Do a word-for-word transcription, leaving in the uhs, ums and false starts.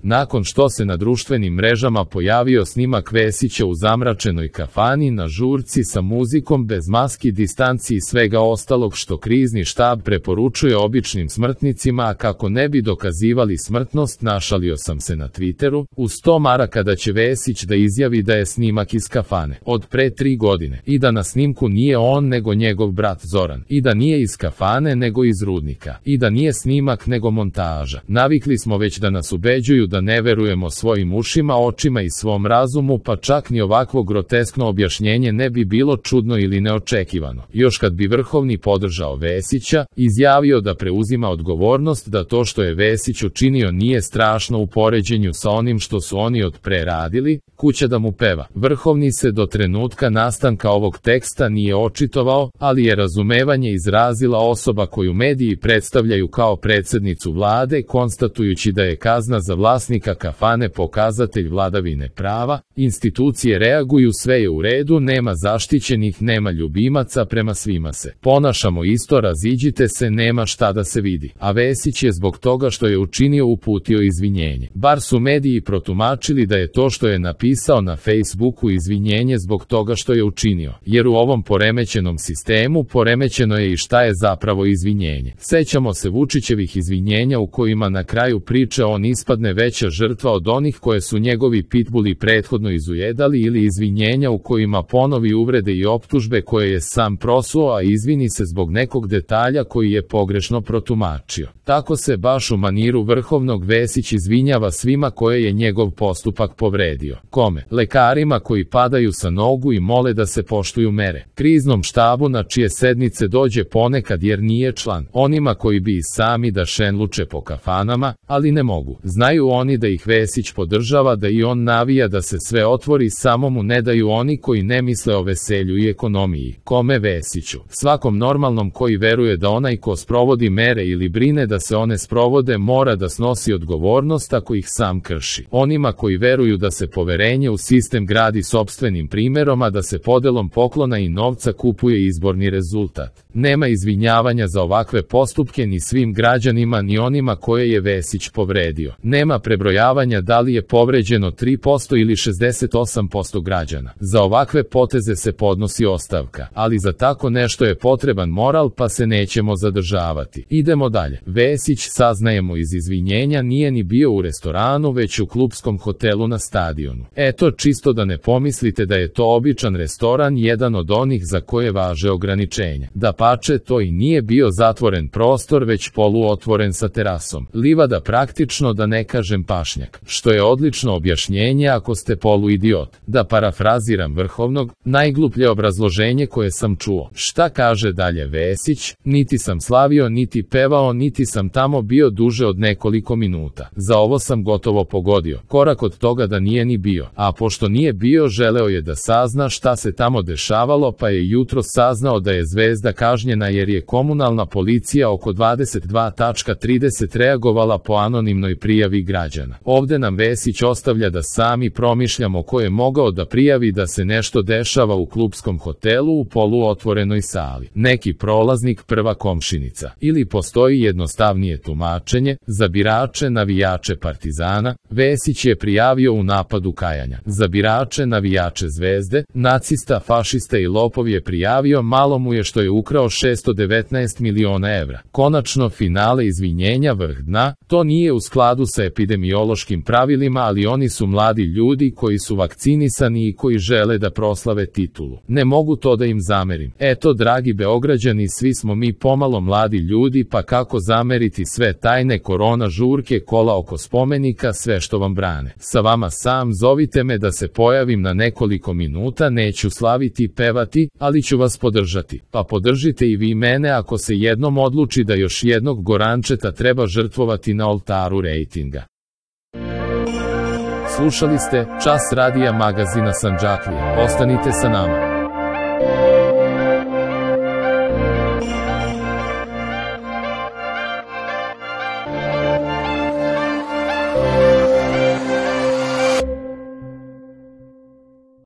Nakon što se na društvenim mrežama pojavio snimak Vesića u zamračenoj kafani na žurci sa muzikom bez maski, distanci i svega ostalog što krizni štab preporučuje običnim smrtnicima, a kako ne bi dokazivali smrtnost, našalio sam se na Twitteru, uz sto maraka da će Vesić da izjavi da je snimak iz kafane od pre tri godine i da na snimku nije on nego njegov brat Zoran i da nije iz kafane nego iz Rudnika i da nije snimak nego montaža. Navikli smo već da nas ubeđuju da ne verujemo svojim ušima, očima i svom razumu, pa čak ni ovakvo groteskno objašnjenje ne bi bilo čudno ili neočekivano. Još kad bi Vrhovni podržao Vesića, izjavio da preuzima odgovornost, da to što je Vesić učinio nije strašno u poređenju sa onim što su oni od pre radili, kuća da mu peva. Vrhovni se do trenutka nastanka ovog teksta nije očitovao, ali je razumevanje izrazila osoba koju mediji predstavljaju kao predsjednicu vlade, konstatujući da je kazna za vlasnika kafane pokazatelj vladavine prava, institucije reaguju, sve je u redu, nema zaštićenih, nema ljubimaca, prema svima se ponašamo isto, raziđite se, nema šta da se vidi. A Vesić je zbog toga što je učinio uputio izvinjenje. Bar su mediji protumačili da je to što je napisao na Facebooku izvinjenje zbog toga što je učinio, jer u ovom poremećenom sistemu poremećeno je i šta je zapravo izvinjenje. Sećamo se Vučićevih izvinjenja u kojima na kraju priče on ispadne veća žrtva od onih koje su njegovi pitbuli prethodno izujedali, ili izvinjenja u kojima ponovi uvrede i optužbe koje je sam prosuo, a izvini se zbog nekog detalja koji je pogrešno protumačio. Tako se baš u maniru Vrhovnog Vesić izvinjava svima koje je njegov postupak povredio. Kome? Lekarima koji padaju sa nogu i mole da se poštuju mere. Kriznom štabu na čije sednice dođe ponekad jer nije član. Onima koji bi i sami da šenluče po kafanama, ali ne mogu. Znaju oni da ih Vesić podržava, da i on navija da se sve otvori, samo mu ne daju oni koji ne misle o veselju i ekonomiji. Kome? Vesiću. Svakom normalnom koji veruje da onaj ko sprovodi mere ili brine da se one sprovode mora da snosi odgovornost ako ih sam krši. Onima koji veruju da se poverenje u sistem gradi sopstvenim primjerom, a da se podelom poklona i novca kupuje izborni rezultat. Nema izvinjavanja za ovakve postupke ni svim građanima ni onima koje je Vesić povredio. Nema prebrojavanja da li je povređeno tri posto ili šezdeset osam posto građana. Za ovakve poteze se podnosi ostavka, ali za tako nešto je potreban moral, pa se nećemo zadržavati. Idemo dalje. Vesić, saznajemo iz izvinjenja, nije ni bio u restoranu, već u klupskom hotelu na stadionu. Eto, čisto da ne pomislite da je to običan restoran, jedan od onih za koje važe ograničenja. Dapače, to i nije bio zatvoren prostor, već poluotvoren sa terasom. Livada, praktično da ne kažem pašnjak, što je odlično objašnjenje ako ste poluidiot. Da parafraziram Vrhovnog, najgluplje obrazloženje koje sam čuo. Šta kaže dalje Vesić? Niti sam slavio, niti pevao, niti sam tamo bio duže od nekoliko minuta. Za ovo sam gotovo pogodio. Korak od toga da nije ni bio. A pošto nije bio, želeo je da sazna šta se tamo dešavalo, pa je jutro saznao da je Zvezda kažnjena jer je komunalna policija oko dvadeset dva trideset reagovala po anonimnoj prijavi građana. Ovde nam Vesić ostavlja da sami promišljamo ko je mogao da prijavi da se nešto dešava u klupskom hotelu u poluotvorenoj sali. Neki prolaznik, prva komšinica. Ili postoji jednostavnije tumačenje, za birače navijače Partizana, Vesić je prijavio u napadu kajanja. Za birače navijače Zvezde, nacista, fašista i lopov je prijavio, malo mu je što je ukrao šesto devetnaest miliona evra. Konačno, finale izvinjenja, vrh dna, to nije u skladu sa epidemiološkim pravilima, ali oni su mladi ljudi koji su vakcinisani i koji žele da proslave titulu. Ne mogu to da im zamerim. Eto, dragi Beograđani, svi smo mi pomalo mladi ljudi, pa kako zameriti sve tajne korona žurke, kola oko spomenika, sve što vam brane. Sa vama sam, zovite me da se pojavim na nekoliko minuta, neću slaviti i pevati, ali ću vas podržati. Pa podržite i vi mene ako se jednom odluči da još jednog Gorančeta treba žrtvovati na oltaru rejtinga. Slušali ste Čas radija magazina Sandžaklije. Ostanite sa nama.